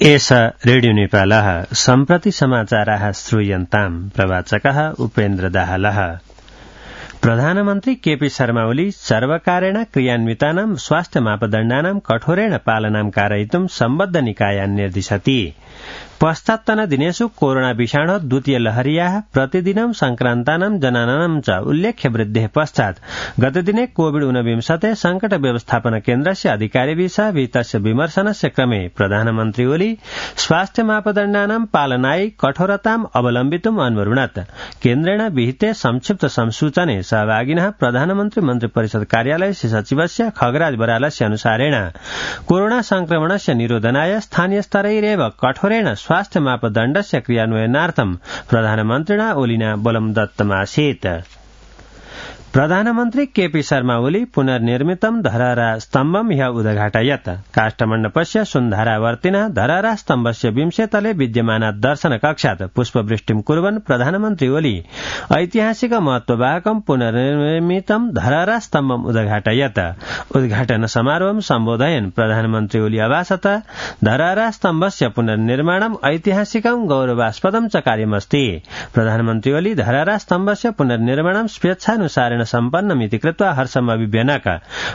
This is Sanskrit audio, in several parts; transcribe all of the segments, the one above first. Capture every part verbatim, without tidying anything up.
एष रेडियो नेपालः सम्प्रति समाचाराः श्रूयन्ताम् प्रवाचकः उपेन्द्र दाहालः। प्रधानमन्त्री केपी शर्मा ओली सर्वकारेण क्रियान्वितानां स्वास्थ्य मापदण्डानां कठोरेण पालनां कारयितुं सम्बद्ध निकायान् निर्दिशति। पश्चात्तन दिनेषु कोरोना विषाणो द्वितीय लहर्याः प्रतिदिनं संक्रान्तानां जनानां च उल्लेख्य वृद्धेः पश्चात् गतदिने कोविड ऊनविंशते संकट व्यवस्थापन केन्द्रस्य अधिकारिभिः सह विहितस्य विमर्शनस्य क्रमे प्रधानमन्त्री ओली स्वास्थ्य मापदण्डानां पालनायै कठोरताम् अवलम्बितुम् अन्वरुणत्। केन्द्रेण विहिते संक्षिप्त संसूचने सहभागिनः प्रधानमन्त्री मन्त्रिपरिषद कार्यालयस्य सचिवस्य खगराज बरालस्य अनुसारेण कोरोना संक्रमणस्य निरोधनाय स्थानीय स्तरैरेव कठोरेण स्वास्थ्य मापदण्डस्य क्रियान्वयनार्थं प्रधानमन्त्रिणा ओलिना बलं दत्तमासीत्। प्रधानमन्त्री केपी शर्मा ओली पुनर्निर्मितं धरहरा स्तम्भं ह्यः उद्घाटयत्। काष्ठमण्डपस्य सुन्धारावर्तिनः धरहरा स्तम्भस्य विंशेतले विद्यमानात् दर्शनकक्षात् पुष्पवृष्टिं कुर्वन् प्रधानमन्त्री ओली ऐतिहासिक महत्ववाहकं पुनर्निर्मितं धरहरा स्तम्भम् उद्घाटयत्। उद्घाटन समारोहं सम्बोधयन् प्रधानमन्त्री ओली अभाषत धरहरा स्तम्भस्य पुनर्निर्माणम् ऐतिहासिकं गौरवास्पदं च कार्यमस्ति। प्रधानमन्त्री ओली धरहरा स्तम्भस्य पुनर्निर्माणं स्वेच्छानुसारेण सम्पन्नमिति कृत्वा हर्षम् अभिव्यनक।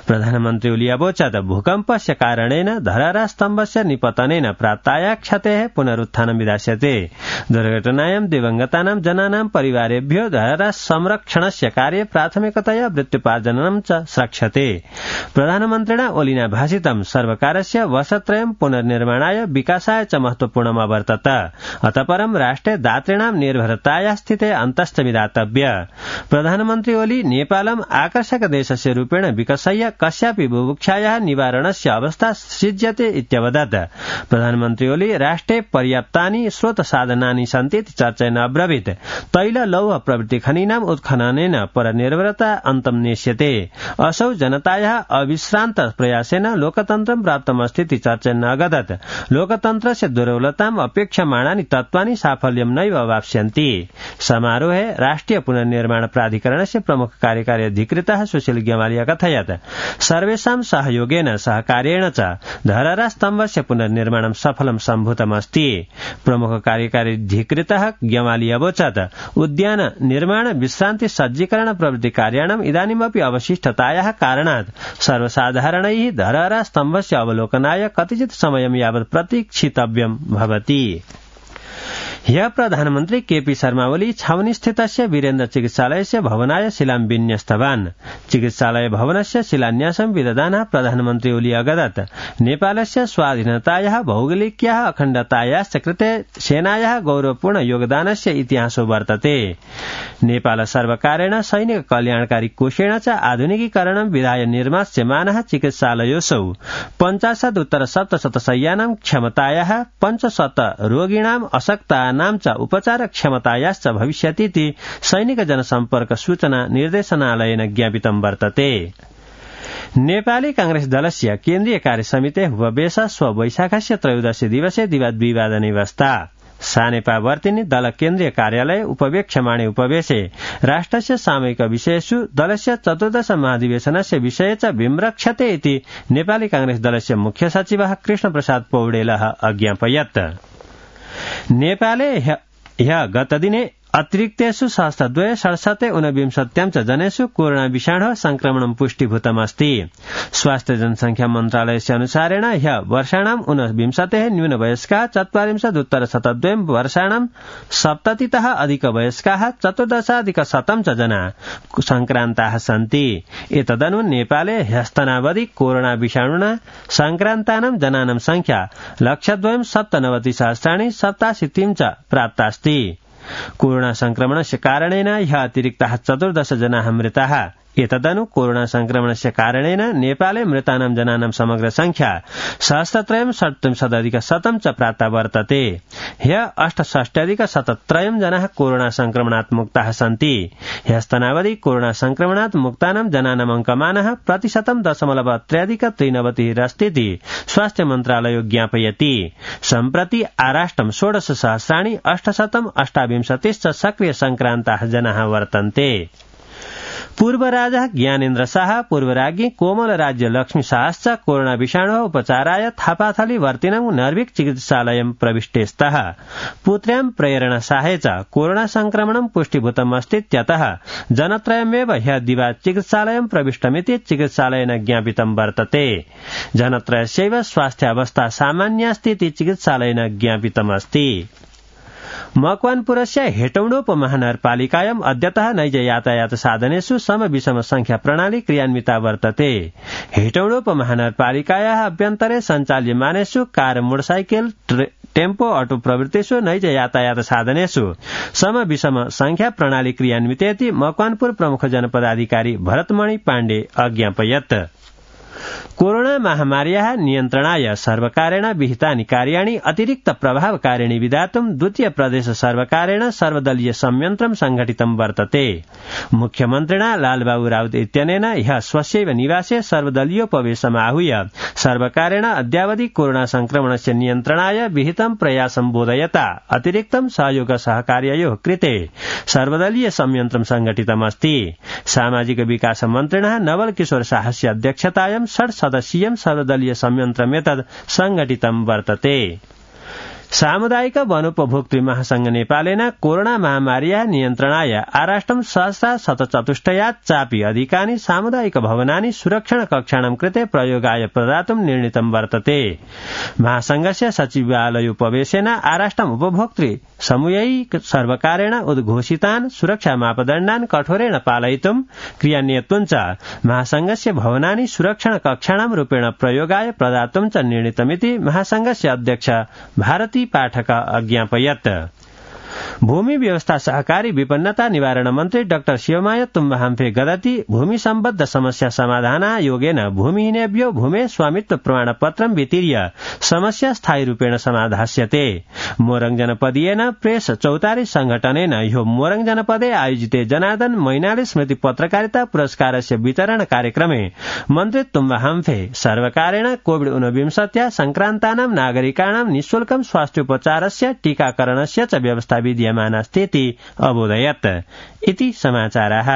प्रधानमन्त्री ओली अवोचत् भूकम्पस्य कारणेन धरहरा स्तम्भस्य निपतनेन प्राप्ताया क्षतेः पुनरुत्थानं विधास्यते। दुर्घटनायां दिवंगतानां जनानां परिवारेभ्यो धरहरा संरक्षणस्य कार्ये प्राथमिकतया वृत्त्युपार्जनं च स्रक्ष्यते। प्रधानमन्त्रिणा ओलिना भाषितं सर्वकारस्य वर्षत्रयं पुनर्निर्माणाय विकासाय च महत्वपूर्णम् अवर्तत। अतः परं राष्ट्रे दातॄणां निर्भरताया स्थिते अन्तश्च विधातव्य। प्रधानमन्त्री ओली नेपालम् आकर्षक देशस्य रूपेण विकसय्य कस्यापि बुभुक्षायाः निवारणस्य अवस्था सृज्यते इत्यवदत्। प्रधानमन्त्री ओली राष्ट्रे पर्याप्तानि स्रोत साधनानि सन्ति इति चर्चयन् अब्रवीत् तैल लौह प्रभृति खनीनाम् उत्खननेन परनिर्भरता अन्तं नेष्यते। असौ जनतायाः अविश्रान्त प्रयासेन लोकतन्त्रं प्राप्तमस्ति इति चर्चयन् अगदत्। लोकतन्त्रस्य दुर्बलताम् अपेक्षमाणानि तत्त्वानि साफल्यं नैव अवाप्स्यन्ति। समारोहे राष्ट्रिय पुनर्निर्माण प्राधिकरणस्य प्रमुख कार्यकारी अधिकृतः सुशील ग्यावाली अकथयत् सर्वेषां सहयोगेन सहकार्येण च धरहरा स्तम्भस्य पुनर्निर्माणं सफलं सम्भूतमस्ति। प्रमुख कार्यकारी अधिकृतः ग्यावाली अवोचत् उद्यान निर्माण विश्रान्ति सज्जीकरण प्रभृति कार्याणाम् इदानीमपि अवशिष्टतायाः कारणात् सर्वसाधारणैः धरहरा स्तम्भस्य अवलोकनाय कतिचित् समयं यावत् प्रतीक्षितव्यं भवति। ह्यः प्रधानमन्त्री केपी शर्मा ओली छावनीस्थितस्य वीरेन्द्र चिकित्सालयस्य भवनाय शिलां विन्यस्तवान्। चिकित्सालय भवनस्य शिलान्यासं विदधानः प्रधानमन्त्री ओली अगदत् नेपालस्य स्वाधीनतायाः भौगोलिक्याः अखण्डतायाश्च कृते सेनायाः गौरवपूर्ण योगदानस्य इतिहासो वर्तते। नेपाल सर्वकारेण सैनिक कल्याणकारी कोषेण च आधुनिकीकरणं विधाय निर्मास्यमानः चिकित्सालयोऽसौ पञ्चाशदुत्तर सप्तशतशय्यानां क्षमतायाः पञ्चशत रोगिणाम् अशक्तानां च उपचार क्षमतायाश्च भविष्यतीति सैनिक जनसम्पर्क सूचना निर्देशनालयेन ज्ञापितं वर्तते। नेपाली कांग्रेस दलस्य केन्द्रीय कार्यसमितेः उपवेश श्व वैशाखस्य त्रयोदशी दिवसे दिवाद्विवादने व्यस्ता। सानेपावर्तिनि दल केन्द्रीय कार्यालये उपवेक्ष्यमाणे उपवेशे राष्ट्रस्य सामयिक विषयेषु दलस्य चतुर्दश महाधिवेशनस्य विषये च विम्रक्ष्यते इति नेपाली कांग्रेस दलस्य मुख्य सचिवः कृष्णप्रसाद पौडेलः अज्ञापयत्। नेपाले ह्यः गतदिने अतिरिक्तेषु सहस्रद्वय षड्शते ऊनविंशत्यां च जनेषु कोरोना विषाणोः संक्रमणं पुष्टीभूतमस्ति। स्वास्थ्य जनसंख्या मन्त्रालयस्य अनुसारेण ह्यः वर्षाणाम् ऊनविंशतेः न्यूनवयस्काः चत्वारिंशदुत्तर शतद्वयं वर्षाणाम् सप्ततितः अधिकवयस्काः चतुर्दशाधिकशतं च जनाः संक्रान्ताः सन्ति। एतदनु नेपाले ह्यस्तनावधि कोरोना विषाणुना संक्रान्तानां जनानां संख्या लक्षद्वयं सप्तनवतिसहस्राणि सप्ताशीतिं च प्राप्तास्ति। कोरोना संक्रमणस्य कारणेन ह्यः अतिरिक्ताः चतुर्दश जनाः मृताः। एतदनु कोरोना संक्रमणस्य कारणेन नेपाले मृतानां जनानां समग्र संख्या सहस्रत्रयं षट्त्रिंशदधिकशतं च प्राप्ता वर्तते। ह्यः अष्टषष्ट्यधिकशतत्रयं जनाः कोरोना संक्रमणात् मुक्ताः सन्ति। ह्यस्तनावधि कोरोना संक्रमणात् मुक्तानां जनानाम् अङ्कमानः प्रतिशतं दशमलव त्र्यधिक त्रिनवतिरस्तीति स्वास्थ्य मन्त्रालयो ज्ञापयति। सम्प्रति आराष्ट्रं षोडश सहस्राणि अष्टशतं अष्टाविंशतिश्च सक्रिय संक्रान्ताः जनाः वर्तन्ते। पूर्व राजा ज्ञानेन्द्र शाह, पूर्व राज्ञी कोमल राज्य लक्ष्मी शाहश्च कोरोना विषाणु उपचाराय थापाथली वर्तिनं नर्विक चिकित्सालयं प्रविष्टेस्तः। पुत्र्यां प्रेरणा शाहे च कोरोना संक्रमणं पुष्टिभूतमस्तीत्यतः जनत्रयमेव ह्यः दिवा चिकित्सालयं प्रविष्टमिति चिकित्सालयेन ज्ञापितं वर्तते। जनत्रयस्यैव स्वास्थ्यावस्था सामान्यास्तीति चिकित्सालयेन ज्ञापितमस्ति। मकवानपुरस्य हेटौडोपमहानगरपालिकायाम् अद्यतः नैज यातायात साधनेषु सम विषम संख्या प्रणाली क्रियान्विता वर्तते। हेटौडोपमहानगरपालिकायाः अभ्यन्तरे सञ्चाल्यमानेषु कार मोटरसाइकल टेम्पो अटो प्रवृत्तिषु नैज यातायात साधनेषु सम विषम संख्या प्रणाली क्रियान्वितेति मकवानपुर प्रमुख जनपदाधिकारी भरतमणि पाण्डे अज्ञापयत्। कोरोना महामार्याः नियन्त्रणाय सर्वकारेण विहितानि कार्याणि अतिरिक्त प्रभावकारिणी विधातुं द्वितीय प्रदेश सर्वकारेण सर्वदलीय संयन्त्रं संघटितं वर्तते। मुख्यमन्त्रिणा लालबाबू राउत इत्यनेन ह्यः स्वस्यैव निवासे सर्वदलीयोपवेशम् आहूय सर्वकारेण अद्यावधि कोरोना संक्रमणस्य नियन्त्रणाय विहितं प्रयासं बोधयता अतिरिक्तं सहयोग सहकार्ययोः कृते सर्वदलीय संयन्त्रं संघटितमस्ति। सामाजिक विकास मन्त्रिणः नवल किशोर शाहस्य अध्यक्षतायां षड् सदस्यीयं सर्वदलीय संयन्त्रमेतद् संघटितं वर्तते। सामुदायिक वनोपभोक्तृ महासंघ नेपालेन कोरोना महामार्याः नियन्त्रणाय आराष्ट्रं सहस्रा शतचतुष्टयात् चापि अधिकानि सामुदायिक भवनानि सुरक्षण कक्षाणां कृते प्रयोगाय प्रदातुं निर्णीतं वर्तते। महासंघस्य सचिवालयोपवेशेन आराष्ट्रम् उपभोक्तृ समूहै सर्वकारेण उद्घोषितान् सुरक्षा मापदण्डान् कठोरेण पालयितुं क्रियान्वितुं च महासंघस्य भवनानि सुरक्षण कक्षाणां रूपेण प्रयोगाय प्रदातुं च निर्णीतमिति महासंघस्य अध्यक्ष भारती पाठक अज्ञापयत्। भूमि व्यवस्था सहकारी विपन्नता निवारण मन्त्री डाक्टर शिवमाया तुम्बाहाम्फे गदति भूमि सम्बद्ध समस्या समाधानायोगेन भूमिहीनेभ्यो भूमे स्वामित्व प्रमाणपत्रं वितीर्य समस्या स्थायी रूपेण समाधास्यते। मोरङ जनपदीयेन प्रेस चौतारी संघटनेन ह्यो मोरङ जनपदे आयोजिते जनार्दन मैनाली स्मृति पत्रकारिता पुरस्कारस्य वितरण कार्यक्रमे मन्त्री तुम्बाहाम्फे सर्वकारेण कोविड ऊनविंशत्या संक्रान्तानां नागरिकाणां निःशुल्कं स्वास्थ्योपचारस्य टीकाकरणस्य च व्यवस्था विद्यमानास्तीति अबोधयत्। इति समाचाराः।